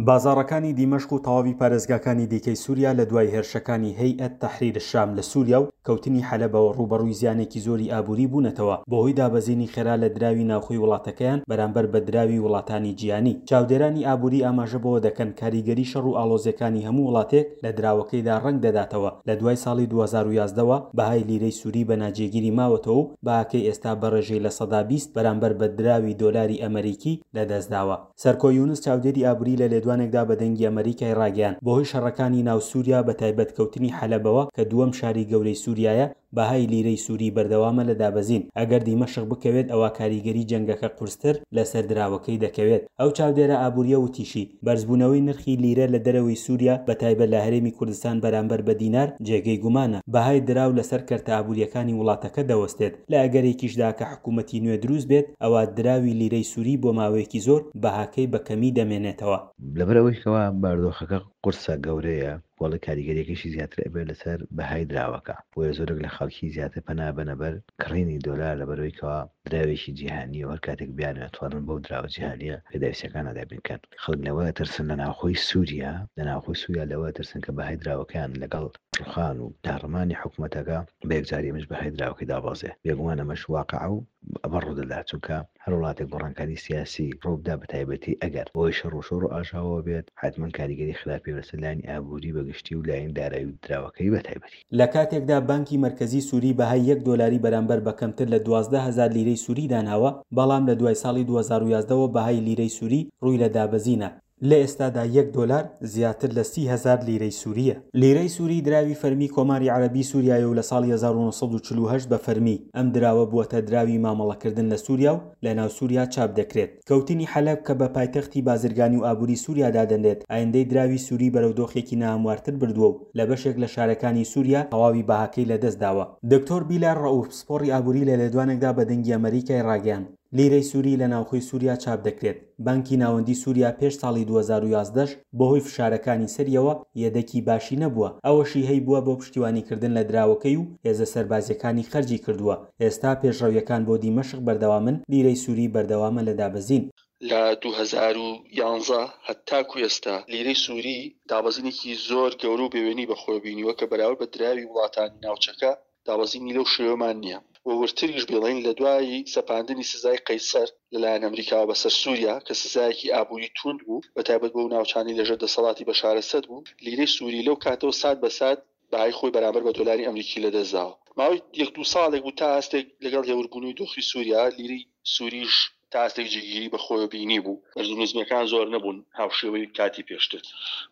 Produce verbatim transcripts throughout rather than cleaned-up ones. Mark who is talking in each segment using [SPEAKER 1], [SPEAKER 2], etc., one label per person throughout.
[SPEAKER 1] بازاڕەکانی دیمەشق و تەواوی پارێزگاکانی دیکەی سووریا لە دوای هێرشەکانی هەیئەت تەحریر شام لە سووریا و کەوتنی حەلەبەوە ڕووبەڕووی زیانێکی زۆری ئابووری بوونەتەوە بەهۆی دابەزینی خێرا لە دراوی ناوخۆی وڵاتەکەیان بەرامبەر بە دراوی وڵاتانی جیهانی. چاودێرانی ئابووری ئاماژە بەوە دەکەن کاریگەری شەڕ و ئاڵۆزیەکانی هەموو وڵاتێک لە دراوەکەیدا ڕەنگ دەداتەوە. لە دوای ساڵی دوو هەزار و یازدە وە بەهای لیرەی سووری بە ناجێگیری ماوەتەوە و بەهاکەی ئێستا بە ڕێژەی لە سەدا بیست بەرامبەر بە دراوی دۆلاری ئەمەریکی لەدەستداوە. سەرکۆ یونس چاودێری ئابووری لە لێدوانێکدا بە دەنگی ئەمەریکای ڕاگەیاند بەهۆی شەڕەکانی ناو سووریا بە تایبەت کەوتنی حەلەبەوە کە دووەم شاری گەورەی سووریایە بەهای لیرەی سووری بەردەوامە لە دابەزین. ئەگەر دیمەشق بکەوێت ئەوە کاریگەری جەنگەکە قورستر لەسەر دراوەکەی دەکەوێت. ئەو چاودێرە ئابووریە وتیشی بەرزبوونەوەی نرخی لیرە لە دەرەوەی سووریا بە تایبەت لە هەرێمی کوردستان بەرامبەر بە دینار جێگەی گومانە. بەهای دراو لەسەر کەرتە ئابووریەکانی وڵاتەکە دەوەستێت. لە ئەگەرێکیشدا کە حکوومەتی نوێ دروست بێت ئەوە دراوی لیرەی سووری بۆ ماوەیەکی زۆر بەهاکەی بە کەمی دەمێنێتەوە.
[SPEAKER 2] لەبەرئەوەی کەوا باردۆخەکە قورسە گەورەیە، وەڵی کاریگەریەکەشی زیاتر ئەبێت لەسەر بەهای دراوەکە، بۆیە زۆرێک لە خەڵکی زیاتر پەنا بەنە بەر کڕینی دۆلار لەبەرەوەی کەوا دراوێکی جیهانیە و هەر کاتێک بیانەوێت توانن بەو دراوە جیهانیە پێداویستیەکان دابین بکەن. خەڵک لەوە ترسن لە ناوخۆی سووریا لە ناوخۆی سووریا لەوە ترسن کە بەهای دراوەکەیان لەگەڵ ڕوخان و داڕمانی حکوومەتەکە بە یەکجاری ئەمەش بەهای دراوەکەی دابەزێ. بێگومان ئەمەش واقع و ئەمە ڕوودەدات، چونکە هەر وڵاتێک گۆڕانکاری سیاسی ڕووبدا بە تایبەتی ئەگەر بۆی شەڕ و شۆڕ و ئاژاوە بێت حتمما کاریگەری خراپی لەسەر لایەنی ئابووری بەگشتی و لایەن دارایی و دراوەکەی بە تایبەتی.
[SPEAKER 1] لە کاتێکدا بانکی مەرکەزی سووری بەهای یەک دۆلاری بەرامبەر بە کەمتر لە دوازدە هەزار لیرەی سووری داناوە، بەڵام لە دوای ساڵی دوو هەزار و یازدە وە بەهای لیرەی سووری ڕووی لە دابەزینە. لە ئێستادا یەک دۆلار زیاتر لە سی هەزار لیرەی سووریە. لیرەی سووری دراوی فەرمی کۆماری عەرەبی سووریایە و لە ساڵی هەزار و نۆ سەد و چل و هەشت بە فەرمی ئەم دراوە بووەتە دراوی مامەڵەکردن لە سووریا و لە ناو سووریا چاپ دەکرێت. کەوتنی حەلەب کە بە پایتەختی بازرگانی و ئابووری سووریا دادەنرێت ئایندەی دراوی سووری بەرەو دۆخێکی ناهەموارتر بردووە و لە بەشێک لە شارەکانی سووریا تەواوی بەهاکەی لەدەستداوە. دکتۆر بیلار ڕەئوف پسپۆڕی ئابووری لە لێدوانێکدا بە دەنگی ئەمەریکای ڕاگەیاند لیرەی سووری لە ناوخۆی سووریا چاپ دەکرێت. بانکی ناوەندی سووریا پێش ساڵی دوو هەزار و یازدە بەهۆی فشارەکانی سەریەوە یەدەکی باشی نەبووە، ئەوەشی هەیبووە بۆ پشتیوانیکردن لە دراوەکەی و هێزە سەربازیەکانی خەرجی کردووە. ئێستا پێشڕەویەکان بۆ دیمەشق بەردەوامن، لیرەی سووری بەردەوامە لە دابەزین.
[SPEAKER 3] لە دوو هەزار و یازدە هەتاکو ئێستا لیرەی سووری دابەزینێکی زۆر گەورە و بێوێنی بەخۆی بینیوە کە بەراورد بە دراوی وڵاتانی ناوچەکە دابەزینی لەو شێوەمان نییە. و ورتریش بڵێن لە دوای سەپاندنی سزای قەیسەر لەلایەن ئەمریکاوە بەسەر سووریا کە سزایەکی ئابووری توند بوو بە تایبەت بۆ ناوچانی لەژێر دەسەڵاتی بەشار ئەسەد بوو، لیرەی سووری لەو کاتەوە سات بە سات بەهای خۆی بەرامبەر بە دۆلاری ئەمریکی لەدەستداوە. ماوەی یەک دوو ساڵێک بوو تا ئاستێک لەگەڵ هێوربوونەوەی دۆخی سووریا لیرەی سووریش تا ئاستێک جێگیری بەخۆی بینی بوو، بەرز و نزمیەکان زۆر نەبوون هاوشێوەی کاتی پێشتر.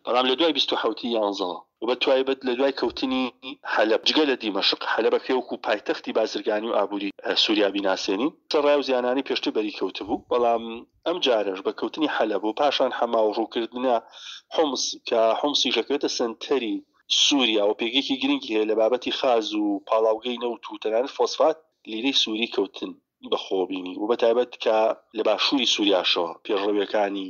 [SPEAKER 3] بەڵام لە دوای بیست و حەوتی یانزەوە و بە تایبەت لە دوای کەوتنی حەلەب جگە لە دیمەشق، حەلەبەکە وەکو پایتەختی بازرگانی و ئابووری سووریا بیناسێنین، سەرڕای و زیانانی پێشتر بەری کەوتبوو، بەڵام ئەم جارەش بە کەوتنی حەلەب و پاشان حەما و ڕووکردنە حومس کە حومسیش دەکەوێتە سەنتەری سووریا و پێگەیەکی گرنگی هەیە لە بابەتی خاز و پاڵاوگەی نەوت و تەنانەت فۆسفات، لیرەی سووری کەوتن بەخۆ بینی و بە تایبەت کە لە باشووری سووریاشەوە پێشڕەویەکانی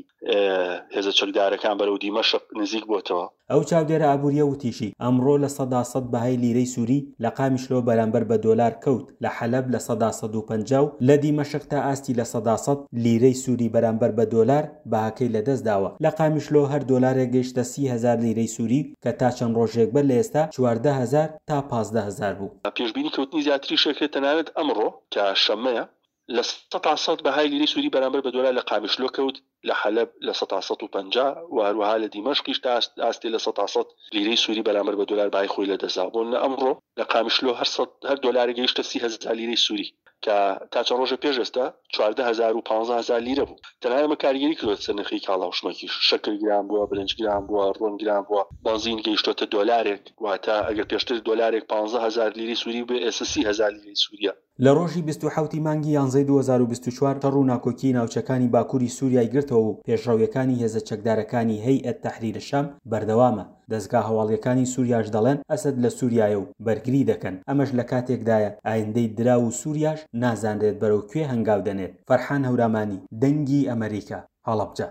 [SPEAKER 3] هێزە چەکدارەکان بەرەو دیمەشق نزیک بۆتەوە.
[SPEAKER 1] ئەو چاودێرە ئابووریە وتیشی ئەمڕۆ لە سەدا سەد بەهای لیرەی سووری لە قامیشلۆ بەرامبەر بە دۆلار کەوت، لە حەلەب لە سەدا سەد و پەنجا و لە دیمەشق تا ئاستی لە سەدا سەد لیرەی سووری بەرامبەر بە دۆلار بەهاکەی لەدەستداوە. لە قامیشلۆ هەر دۆلارێک گەیشتە سی هەزار لیرەی سووری کە تا چەند ڕۆژێک بەر لە ئێستا چواردە هەزار تا پازدە هەزار بوو.
[SPEAKER 3] پێشبینی کەوتنی زیاتری شەکرێت تەنانەت ئەمڕۆ کە شەمەیە لە سەدا سەد بەهای لیرەی سووری بەرامبەر بە دۆلار لە قامیشلۆ کەوت، لە حەلەب لە سەدا سەد و پەنجا و هەروەها لە دیمەشقیش تا ئاستێ لە سەدا سەد لیرەی سووری بەرامبەر بە دۆلار بەهای خۆی لەدەستدا. بۆ نمونە ئەمڕۆ لە قامیشلۆ هەر هەر دۆلارێک گەیشتە سی هەزار لیرەی سووری کە تا چەند ڕۆژە پێش ئێستا چواردە هەزار و پانزە هەزار لیرە بوو. تەنها ئەمە کاریگەری کردووەتە سەر نرخی کاڵا و شمەکیش، شەکر گران بووە، برنج گران بووە، ڕۆن گران بووە، بەنزین گەیشتۆتە دۆلارێک، واتە ئەگەر پێشتر دۆلارێک پانزە هەزار لیرەی سووری بێ ئێستا سی هەزار لیرەی سووریە.
[SPEAKER 1] لە ڕۆژی بیست و حەوتی مانگی یانزەی دوو هەزار و بیست و چوار شەڕ و ناکۆکی ناوچەکانی باکووری سووریای گرتەوە و پێشڕەویەکانی هێزە چەکدارەکانی هەیئەت تەحریر شام بەردەوامە. دەزگا هەواڵیەکانی سووریاش دەڵێن ئەسەد لە سووریایە و بەرگری دەکەن. ئەمەش لە کاتێکدایە ئایندەی دراو و سووریاش نازانرێت بەرەو کوێ هەنگاو دەنێت. فەرحان هەورامانی، دەنگی ئەمریکا، هەڵەبجە.